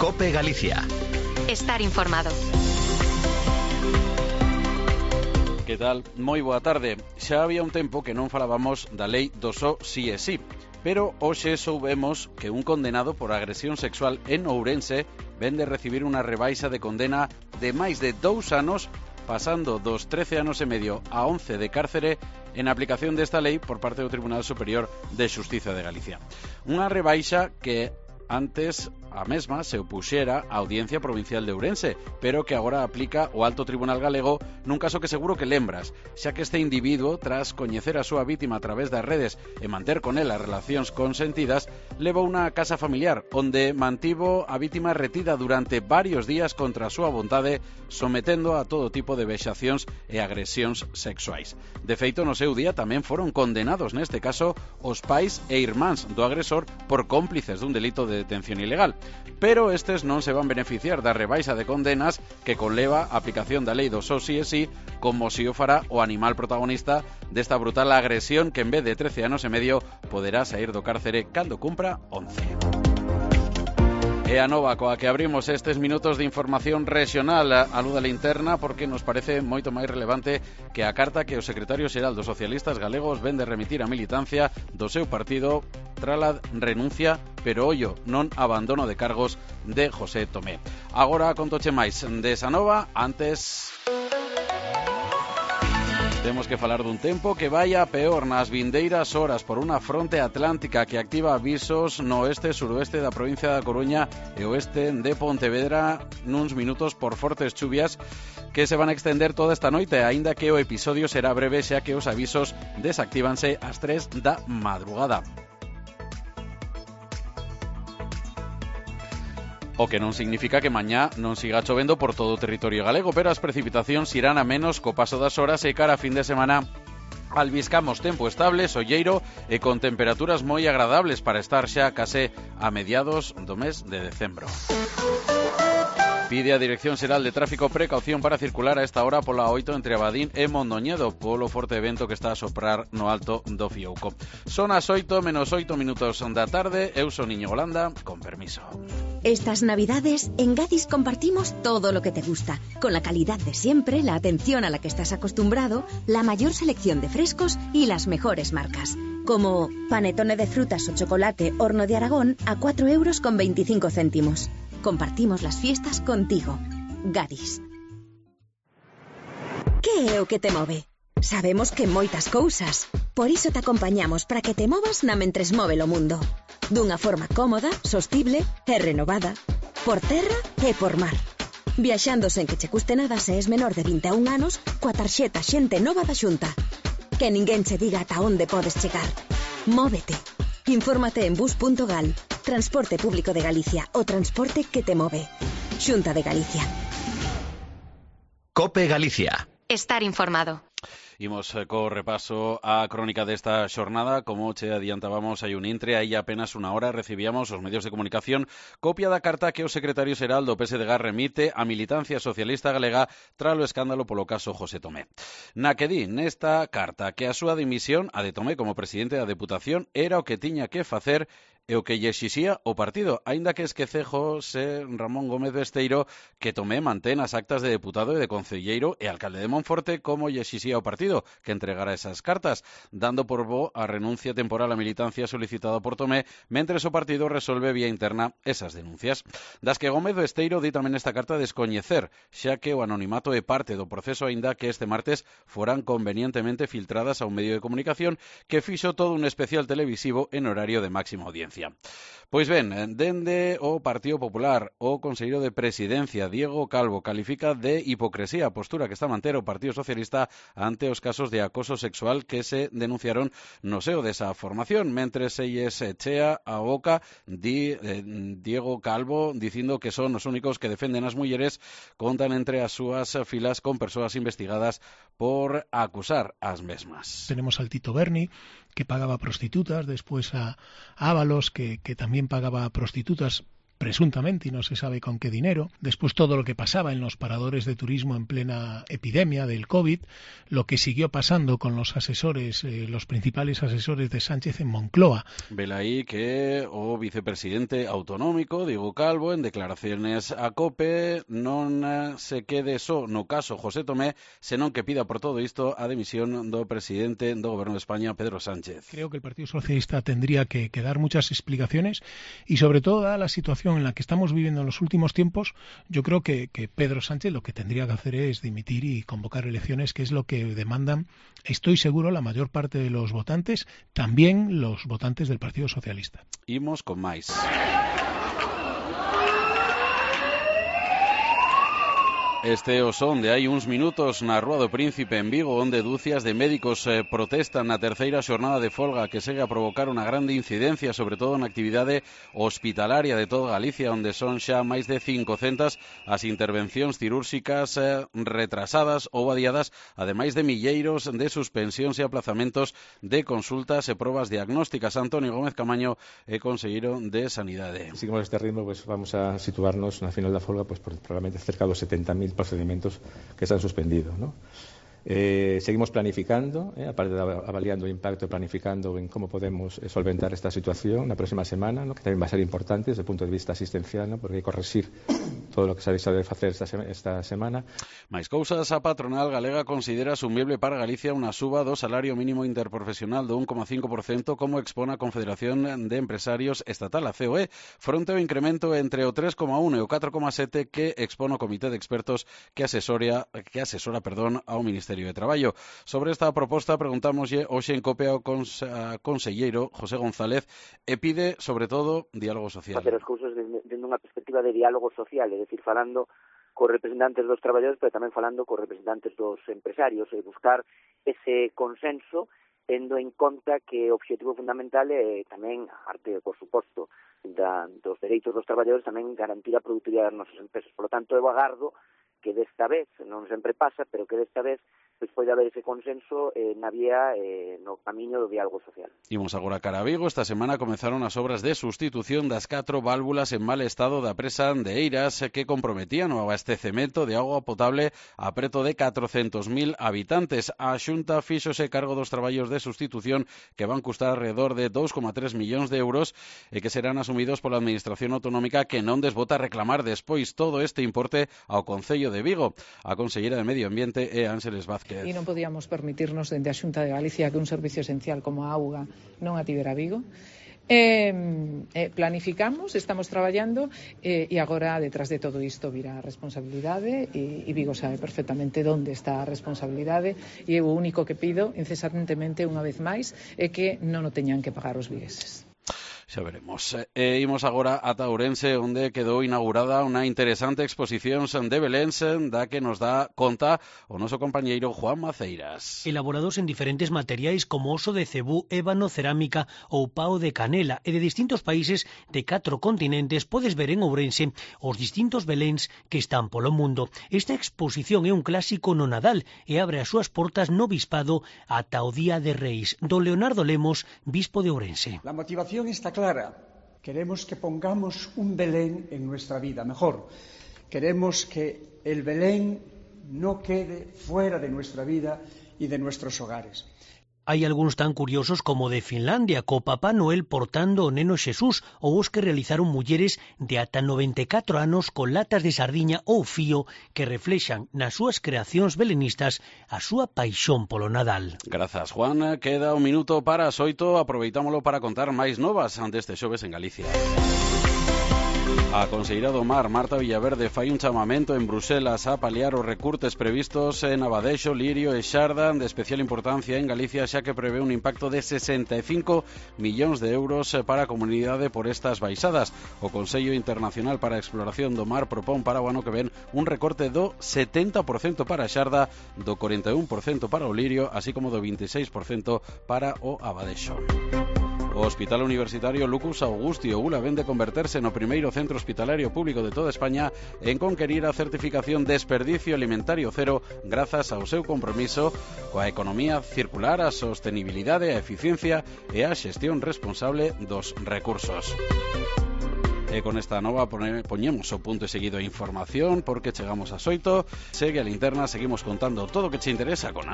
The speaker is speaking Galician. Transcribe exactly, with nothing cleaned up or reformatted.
COPE Galicia. Estar informado. Que tal? Moi boa tarde. Xa había un tempo que non falábamos da lei do só si e si, pero hoxe soubemos que un condenado por agresión sexual en Ourense ven de recibir unha rebaixa de condena de máis de dous anos, pasando dos trece anos e medio a once de cárcere en aplicación desta lei por parte do Tribunal Superior de Xustiza de Galicia. Unha rebaixa que antes a mesma se opuxera á Audiencia Provincial de Ourense, pero que agora aplica o Alto Tribunal Galego nun caso que seguro que lembras, xa que este individuo, tras coñecer a súa vítima a través das redes e manter con ela relacións consentidas, levou unha casa familiar onde mantivo a vítima retida durante varios días contra a súa vontade, sometendo a todo tipo de vexacións e agresións sexuais. De feito, no seu día tamén foron condenados neste caso os pais e irmáns do agresor por cómplices dun delito de detención ilegal. Pero estes non se van beneficiar da rebaixa de condenas que conleva a aplicación da lei do só si e si, como si o fará o animal protagonista desta brutal agresión que en vez de trece anos e medio poderá sair do cárcere cando cumpra once. E a nova coa que abrimos estes minutos de información regional a luz da linterna, porque nos parece moito máis relevante que a carta que o secretario xeral dos socialistas galegos ven de remitir a militancia do seu partido trala renuncia, pero ollo, non abandono de cargos de José Tomé. Agora contoche máis desa nova, antes temos que falar dun tempo que vai a peor nas vindeiras horas por unha fronte atlántica que activa avisos no oeste e suroeste da provincia da Coruña e oeste de Pontevedra nuns minutos por fortes chuvias que se van a extender toda esta noite, aínda que o episodio será breve xa que os avisos desactívanse ás tres da madrugada. O que non significa que mañá non siga chovendo por todo o territorio galego, pero as precipitacións irán a menos co paso das horas e cara a fin de semana albiscamos tempo estable, solleiro e con temperaturas moi agradables para estar xa case a mediados do mes de decembro. Pide a Dirección Xeral de Tráfico precaución para circular a esta hora pola oito entre Abadín e Mondoñedo polo forte vento que está a soprar no alto do Fiouco. Son as oito menos oito minutos da tarde, eu son Iñigo Landa, con permiso. Estas navidades en Gadis compartimos todo lo que te gusta, con la calidad de siempre, la atención a la que estás acostumbrado, la mayor selección de frescos y las mejores marcas. Como panetone de frutas o chocolate Horno de Aragón a cuatro euros con veinticinco céntimos. Compartimos las fiestas contigo. Gadis. Que é o que te move? Sabemos que moitas cousas. Por iso te acompañamos para que te movas na mentres move o mundo. Dunha forma cómoda, sostible e renovada. Por terra e por mar. Viaxando sen que che custe nada se es menor de vinte e un anos coa tarxeta Xente Nova da Xunta. Que ninguén che diga ata onde podes chegar. Móvete. Infórmate en bus punto gal. Transporte Público de Galicia, o transporte que te move. Xunta de Galicia. COPE Galicia. Estar informado. Imos co repaso á crónica desta xornada. Como che adiantábamos, hai un intre, hai apenas unha hora recibíamos os medios de comunicación copia da carta que o secretario xeral do P S D G remite á militancia socialista galega tralo escándalo polo caso José Tomé. Na que di nesta carta que a súa dimisión, a de Tomé como presidente da Deputación, era o que tiña que facer e o que lle exixía o partido, aínda que esquece José Ramón Gómez Besteiro que Tomé mantén as actas de deputado e de concelleiro e alcalde de Monforte como lle exixía o partido que entregara esas cartas, dando por bo a renuncia temporal á militancia solicitada por Tomé, mentres o partido resolve vía interna esas denuncias. Das que Gómez Besteiro di tamén esta carta descoñecer, xa que o anonimato é parte do proceso, aínda que este martes foran convenientemente filtradas a un medio de comunicación que fixo todo un especial televisivo en horario de máxima audiencia. Pois ben, dende o Partido Popular, o conselleiro de Presidencia, Diego Calvo, califica de hipocresía a postura que está a manter o Partido Socialista ante os casos de acoso sexual que se denunciaron no seo desa formación, mentres se lles chea a boca di eh, Diego Calvo dicindo que son os únicos que defenden as mulleres, contan entre as súas filas con persoas investigadas por acusar as mesmas. Tenemos al Tito Berni, que pagaba prostitutas, después a Ábalos, que, que también pagaba prostitutas presuntamente, y no se sabe con qué dinero. Después todo lo que pasaba en los paradores de turismo en plena epidemia del COVID, lo que siguió pasando con los asesores, eh, los principales asesores de Sánchez en Moncloa. Velaí que o vicepresidente autonómico, Diego Calvo, en declaraciones a COPE, non se quede só no caso José Tomé, senón que pida por todo isto a dimisión do presidente do Goberno de España, Pedro Sánchez. Creo que el Partido Socialista tendría que, que dar muchas explicaciones y sobre todo, dada la situación en la que estamos viviendo en los últimos tiempos, yo creo que, que Pedro Sánchez lo que tendría que hacer es dimitir y convocar elecciones, que es lo que demandan, estoy seguro, la mayor parte de los votantes, también los votantes del Partido Socialista. Imos con máis. Este o son de hai uns minutos na Rúa do Príncipe en Vigo, onde dúcias de médicos eh, protestan na terceira xornada de folga que segue a provocar unha grande incidencia, sobre todo na actividade hospitalaria de toda Galicia, onde son xa máis de cincocentas as intervencións cirúrxicas eh, retrasadas ou adiadas, ademais de milleiros de suspensións e aplazamentos de consultas e probas diagnósticas. Antonio Gómez Camaño é conselleiro de Sanidade. Si seguimos este ritmo, pues vamos a situarnos na final da folga pues, por probablemente cerca dos setenta mil procedimientos que se han suspendido, ¿no? Eh, seguimos planificando, eh, aparte de avaliando o impacto, planificando en cómo podemos eh, solventar esta situación na próxima semana, ¿no? Que tamén va a ser importante desde o punto de vista asistencial, ¿no? Porque hai que corregir todo o que se ha deixado de facer esta, sema, esta semana. Mais cousas, a patronal galega considera asumible para Galicia unha suba do salario mínimo interprofesional do un coma cinco por cento, como expón a Confederación de Empresarios Estatal, a C O E, fronte ao incremento entre o tres coma uno e o catro coma sete que expón o Comité de Expertos que asesora, que asesora perdón, ao Ministerio de Traballo. Sobre esta proposta preguntámoslle hoxe en COPE ao cons, conselleiro José González e pide, sobre todo, diálogo social. Facer as cousas dende unha perspectiva de diálogo social, é dicir, falando cos representantes dos traballadores, pero tamén falando cos representantes dos empresarios, e buscar ese consenso, tendo en conta que o obxectivo fundamental é tamén, arte, por suposto, da, dos dereitos dos traballadores, tamén garantir a productividade das nosas empresas. Por lo tanto, eu agardo que desta vez, non sempre pasa, pero que desta vez pois pode haber ese consenso eh, na vía, eh, no camiño do diálogo social. Imos agora cara a Vigo. Esta semana comenzaron as obras de sustitución das catro válvulas en mal estado da presa de Eiras que comprometían o abastecemento de auga potable a preto de catrocentos mil habitantes. A Xunta fíxose cargo dos traballos de sustitución que van custar alrededor de dous coma tres millóns de euros e que serán asumidos pola Administración Autonómica, que non desbota reclamar despois todo este importe ao Concello de Vigo. A conselleira de Medio Ambiente é Ángeles Vázquez. E non podíamos permitirnos dende a Xunta de Galicia que un servicio esencial como a auga non a tivera Vigo. Eh, eh, planificamos, estamos traballando eh, e agora detrás de todo isto virá a responsabilidade e, e Vigo sabe perfectamente onde está a responsabilidade e o único que pido incesantemente unha vez máis é que non o teñan que pagar os vigueses. Xa veremos. E imos agora ata Ourense, onde quedou inaugurada unha interesante exposición de Belén, da que nos dá conta o noso compañeiro Juan Maceiras. Elaborados en diferentes materiais como oso de cebú, ébano, cerámica ou pao de canela, e de distintos países de catro continentes, podes ver en Ourense os distintos Beléns que están polo mundo. Esta exposición é un clásico no Nadal e abre as súas portas no bispado ata o Día de Reis. Don Leonardo Lemos, bispo de Ourense. La motivación está clara. Queremos que pongamos un Belén en nuestra vida, mejor, queremos que el Belén no quede fuera de nuestra vida y de nuestros hogares. Hai algúns tan curiosos como de Finlandia, co Papá Noel portando o neno Xesús, ou os que realizaron mulleres de ata noventa e catro anos con latas de sardiña ou fío que reflexan nas súas creacións belenistas a súa paixón polo Nadal. Grazas, Juan. Queda un minuto para as oito. Aproveitámolo para contar máis novas ante este xoves en Galicia. A conselleira do Mar, Marta Villaverde, fai un chamamento en Bruselas a paliar os recortes previstos en Abadexo, Lirio e Xarda, de especial importancia en Galicia, xa que prevé un impacto de sesenta e cinco millóns de euros para a comunidade por estas baixadas. O Consello Internacional para a Exploración do Mar propón para o ano que ven un recorte do setenta por cento para a Xarda, do cuarenta e un por cento para o Lirio, así como do vinte e seis por cento para o Abadexo. O Hospital Universitario Lucus Augusti Oula ven de converterse no primeiro centro hospitalario público de toda España en conquerir a certificación Desperdicio Alimentario Cero grazas ao seu compromiso coa economía circular, a sostenibilidade, a eficiencia e a xestión responsable dos recursos. E con esta nova poñemos o punto e seguido a información porque chegamos a oito. Segue a linterna, seguimos contando todo o que che interesa con Ángel.